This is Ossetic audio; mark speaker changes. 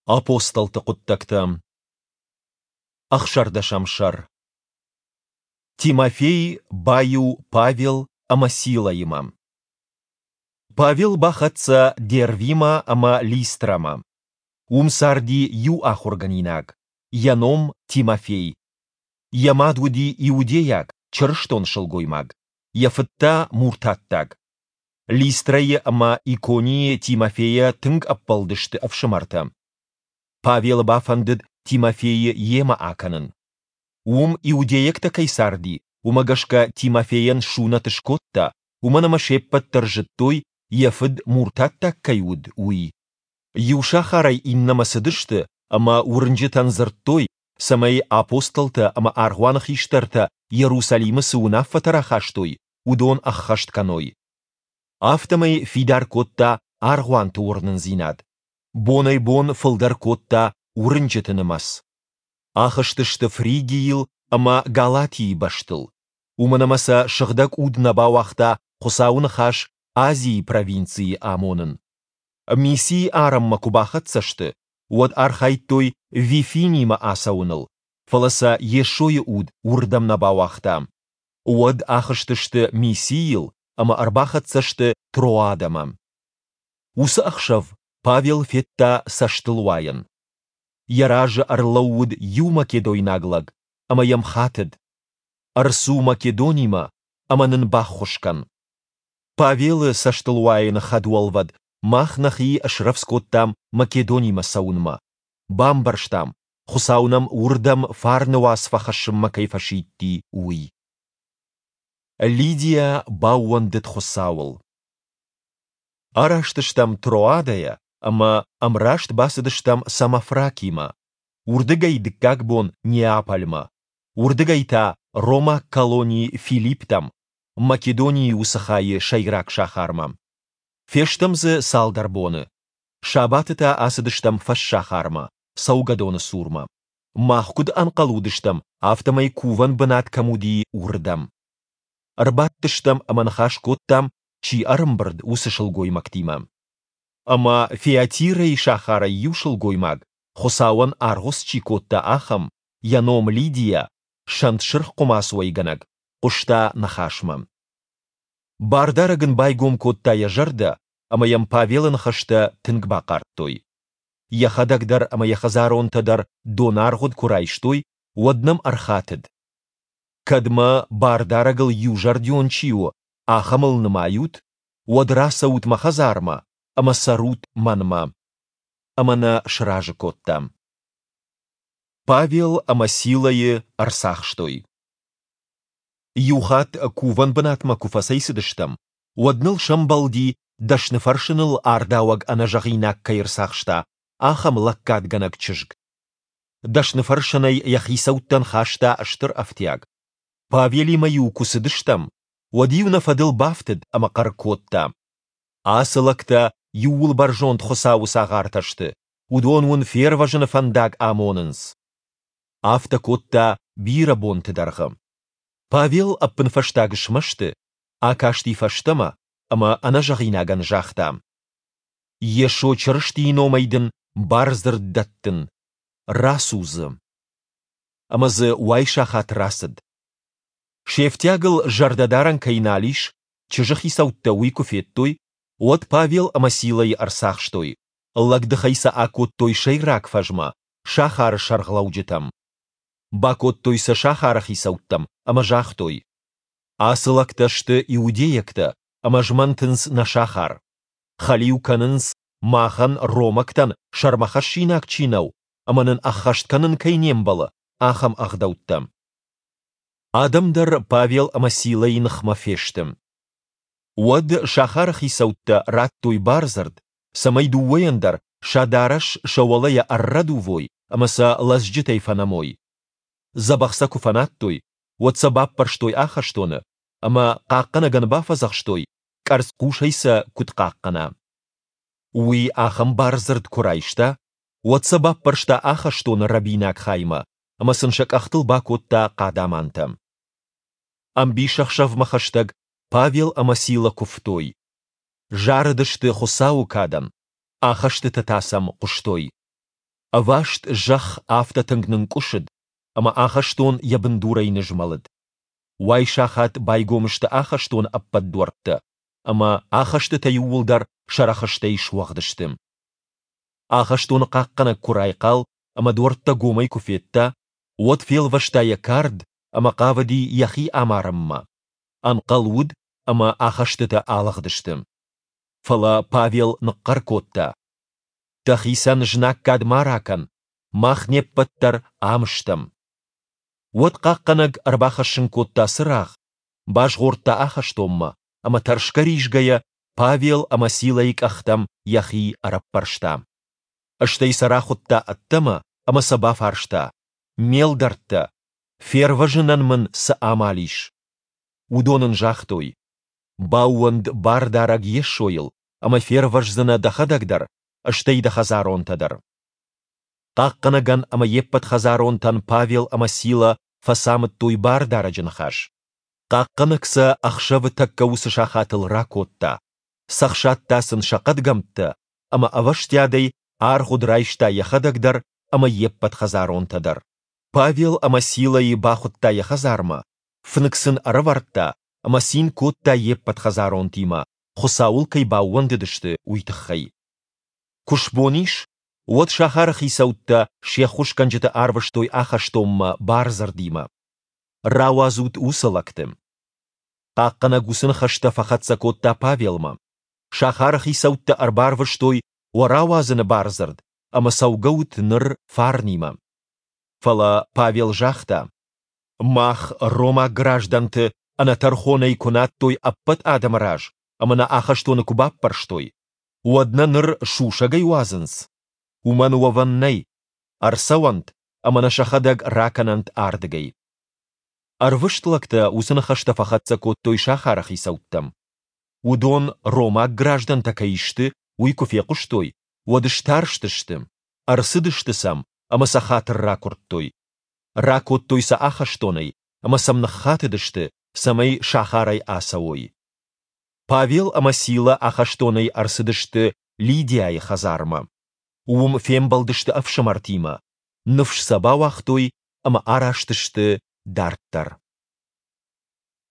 Speaker 1: Апостолты хъуыддӕгтӕ. Ӕхсӕрдӕсӕм сӕр. Тимофей баиу Павел ӕмӕ Силӕимӕ. Павел бахӕццӕ Дервимӕ ӕмӕ Листрӕмӕ. Уым царди иу ахуыргӕнинаг, йӕ ном Тимофей. Йӕ мад уыди иудейаг, чырыстон сылгоймаг, йӕ фыд та муртаттаг. Листрӕйы ӕмӕ Иконийы Тимофейӕ тынг ӕппӕлдысты ӕфсымӕртӕ. Павелы бафӕндыд Тимофейы йемӕ акӕнын. Уым иудейӕгтӕ кӕй царди, уымӕ гӕсгӕ Тимофейӕн сунӕт скодта, уымӕн ӕмӕ се ппӕт дӕр зыдтой, йӕ фыд муртаттаг кӕй уыд, уый. Иу сахарӕй иннӕмӕ цыдысты ӕмӕ уырнджытӕн дзырдтой, цӕмӕй апостолтӕ ӕмӕ аргъуаны хистӕртӕ Иерусалимы цы уынаффӕтӕ рахастой, уыдон ӕххӕст кӕной. Афтӕмӕй фидар кодта аргъуанты уырнындзинад. Бонӕй-бон фылдӕр кодта уырнджыты нымӕц. Ахызтысты Фригийыл ӕмӕ Галатийы бӕстыл, уымӕн ӕмӕ сӕ Сыгъдӕг Уд нӕ бауагъта Хуыцауы ныхас Азийы провинцийы амонын. Мисийы арӕнмӕ куы бахӕццӕ сты, уӕд архайдтой Вифинимӕ ацӕуыныл, фӕлӕ сӕ Йесойы Уд уырдӕм нӕ бауагъта. Уӕд ахызтысты Мисийыл ӕмӕ ӕрбахӕццӕ сты Троадӕмӕ. Уыцы ӕхсӕв Павел федта цӕстылуайӕн. Йӕ разы ӕрлӕууыд иу македойнаг лӕг ӕмӕ йӕм хатыд: Ӕрцу Македонимӕ ӕмӕ нын баххуыс кӕн. Павелы цӕстылуайӕны хӕдуӕлвӕд мах нӕхи срӕвдз кодтам Македонимӕ цӕуынмӕ, бамбӕрстам, Хуыцау нӕм уырдӕм фарны уац фӕхӕссынмӕ кӕй фӕсидти, уый. Лидия баууӕндыд Хуыцауыл. Араст стӕм Троадӕйӕ ӕмӕ ӕмраст бацыдыстӕм Самофракимӕ, уырдыгӕй дыккаг бон Неапольмӕ, уырдыгӕй та ромаг колони Филипптӕм, Македонийы уыцы хайы сӕйраг сахармӕ. Фестӕм дзы цалдӕр боны. Сабаты та ацыдыстӕм фӕссахармӕ, цӕугӕдоны цурмӕ. Мах куыд ӕнхъӕл уыдыстӕм, афтӕмӕй кувӕн бынат кӕм уыди, уырдӕм. Ӕрбадтыстӕм ӕмӕ ныхас кодтам, чи ӕрӕмбырд, уыцы сылгоймӕгтимӕ. Ӕмӕ Фиатирӕйы сахарӕй иу сылгоймаг, Хуыцауӕн аргъуыц чи кодта, ахӕм, йӕ ном Лидия, сӕнт сырх хъуымац уӕйгӕнӕг, хъуыста ныхасмӕ. Бардарӕг ын байгом кодта йӕ зӕрдӕ, ӕмӕ йӕм Павелы ныхӕстӕ тынг бахъардтой. Йӕхӕдӕг дӕр ӕмӕ йӕ хӕдзаронтӕ дӕр донаргъуыд куы райстой, уӕд нӕм ӕрхатыд: Кӕд мӕ, Бардарӕгыл иузӕрдион чи у, ахӕмыл нымайут, уӕд рацӕут мӕ хӕдзармӕ ӕмӕ цӕрут мӕнмӕ. Ӕмӕ нӕ сразы кодта. Павел ӕмӕ Силӕйы ӕрцахстой. Иухатт кувӕн бынатмӕ куы фӕцӕйцыдыстӕм, уӕд ныл сӕмбӕлди, дӕсныфӕрсыныл ардауӕг ӕнӕзӕгъинаг кӕй ӕрцахста, ахӕм лӕггадгӕнӕг чызг. Дӕсныфӕрсынӕй йӕ хицӕуттӕн хаста стыр ӕфтиаг. Павелимӕ-иу куы цыдыстӕм, уӕд-иу нӕ фӕдыл бафтыд ӕмӕ хъӕр кодта: Ацы лӕгтӕ Иууылбӕрзонд Хуыцауы цагъартӕ сты, уыдон уын фервӕзыны фӕндаг амонынц. Афтӕ кодта бирӕ бонты дӕргъы. Павел ӕппынфӕстаг смӕсты, акасти фӕстӕмӕ ӕмӕ ӕнӕзӕгъинагӕн загъта: Йесо Чырыстийы номӕй дын бардзырд дӕттын, рацу дзы. Ӕмӕ дзы уайсахат рацыд. Се фтиагыл зӕрдӕдарӕн кӕй нал ис, чызджы хицӕуттӕ уый куы федтой, уӕд Павел ӕмӕ Силӕйы ӕрцахстой, лӕгдыхӕй сӕ акодтой сӕйраг фӕзмӕ, сахары сӕргълӕуджытӕм. Бакодтой сӕ сахары хицӕуттӕм ӕмӕ загътой: Ацы лӕгтӕ сты иудейӕгтӕ ӕмӕ змӕнтынц нӕ сахар. Хӕлиу кӕнынц, махӕн, ромӕгтӕн, сӕрмӕхӕссинаг чи нӕу ӕмӕ нын ӕххӕст кӕнын кӕй не мбӕлы, ахӕм ӕгъдӕуттӕ. Адӕм дӕр Павел ӕмӕ Силӕйы ныхмӕ фесты. Уӕд сахары хицӕуттӕ радтой бардзырд, цӕмӕй дыууӕйӕн дӕр сӕ дарӕс сӕ уӕлӕйӕ ӕррӕдувой ӕмӕ сӕ лӕдзджытӕй фӕнӕмой. Дзӕбӕх сӕ куы фӕнадтой, уӕд сӕ баппӕрстой ахӕстоны ӕмӕ хъахъхъӕнӕгӕн бафӕдзӕхстой, къӕрцхъусӕй сӕ куыд хъахъхъӕна. Уый ахӕм бардзырд куы райста, уӕд сӕ баппӕрста ахӕстоны рӕбинаг хаймӕ ӕмӕ сын сӕ къӕхтыл бакодта хъадамантӕ. Ӕмбисӕхсӕвмӕ хӕстӕг Павел ӕмӕ Сила куывтой. Зарыдысты Хуыцауы кадӕн, ахӕстытӕ та сӕм хъуыстой. Ӕваст зӕхх афтӕ тынг нынкъуысыд, ӕмӕ ахӕстон йӕ бындурӕй нызмӕлыд. Уайсахат байгом сты ахӕстоны ӕппӕт дуӕрттӕ, ӕмӕ ахӕстытӕ иууылдӕр сӕ рӕхыстӕй суӕгъд сты. Ахӕстоны хъахъхъӕнӕг куы райхъал ӕмӕ дуӕрттӕ гомӕй куы федта, уӕд фелвӕста йӕ кард ӕмӕ хъавыди йӕхи амарынмӕ. Ӕнхъӕл уыд, ӕмӕ ахӕстытӕ алыгъдысты. Фӕлӕ Павел ныхъхъӕр кодта, Дӕхицӕн знаггад ма ракӕн, мах не ппӕт дӕр ам стӕм. Уӕд хъахъхъӕнӕг ӕрбахӕссын кодта цырагъ, базгъордта ахӕстонмӕ ӕмӕ тӕрсгӕ-ризгӕйӕ Павел ӕмӕ Силӕйы къӕхтӕм йӕхи ӕрӕппӕрста. Стӕй сӕ рахуыдта ӕддӕмӕ ӕмӕ сӕ бафарста, Ме лдӕрттӕ, фервӕзынӕн мын цы амал ис? Уыдон ын загътой, Баууӕнд Бардарӕг Йесойыл, ӕмӕ фервӕздзынӕ дӕхӕдӕг дӕр, стӕй дӕ хӕдзаронтӕ дӕр. Хъахъхъӕнӕгӕн ӕмӕ йе ппӕт хӕдзаронтӕн Павел ӕмӕ Сила фӕцамыдтой Бардарӕджы ныхас. Хъахъхъӕнӕг сӕ ӕхсӕвы тӕккӕ уыцы сахатыл ракодта, цӕхсадта сын сӕ хъӕдгӕмттӕ ӕмӕ ӕвӕстиатӕй аргъуыд райста йӕхӕдӕг дӕр ӕмӕ йе ппӕт хӕдзаронтӕ дӕр. Павел ӕмӕ Силӕйы бахуыдта йӕ хӕдзармӕ, фынг сын ӕрӕвӕрдта ӕмӕ цин кодта йе ппӕт хӕдзаронтимӕ, Хуыцауыл кӕй баууӕндыдысты, уый тыххӕй. Куы сбон ис, уӕд сахары хицӕуттӕ се ххуысгӕнджыты арвыстой ахӕстонмӕ бардзырдимӕ. Рауадзут уыцы лӕгты. Хъахъхъӕнӕг уыцы ныхӕстӕ фӕхӕццӕ кодта Павелмӕ. Сахары хицӕуттӕ ӕрбарвыстой уӕ рауадзыны бардзырд, ӕмӕ цӕугӕут ныр фарнимӕ. Фӕлӕ Павел загъта, Мах, ромаг граждӕнты, ӕнӕтӕрхонӕй куы надтой ӕппӕт адӕмы раз ӕмӕ нӕ ахӕстоны куы баппӕрстой, уӕд нӕ ныр сусӕгӕй уадзынц? Уымӕн уӕвӕн нӕй. Ӕрцӕуӕнт ӕмӕ нӕ сӕхӕдӕг ракӕнӕнт ардыгӕй. Ӕрвыст лӕгтӕ уыцы ныхӕстӕ фӕхӕццӕ кодтой сахары хицӕуттӕм. Уыдон ромаг граждӕнтӕ кӕй сты, уый куы фехъуыстой, уӕд старстысты, ӕрцыдысты сӕм ӕмӕ сӕ хатыр ракуырдтой. Ракодтой сӕ ахӕстонӕй ӕмӕ сӕм ныххатыдысты, цӕмӕй сахарӕй ацӕуой. Павел ӕмӕ Сила ахӕстонӕй ӕрцыдысты Лидиайы хӕдзармӕ. Уым фембӕлдысты ӕфсымӕртимӕ, ныфс сӕ бауагътой ӕмӕ араст сты дарддӕр.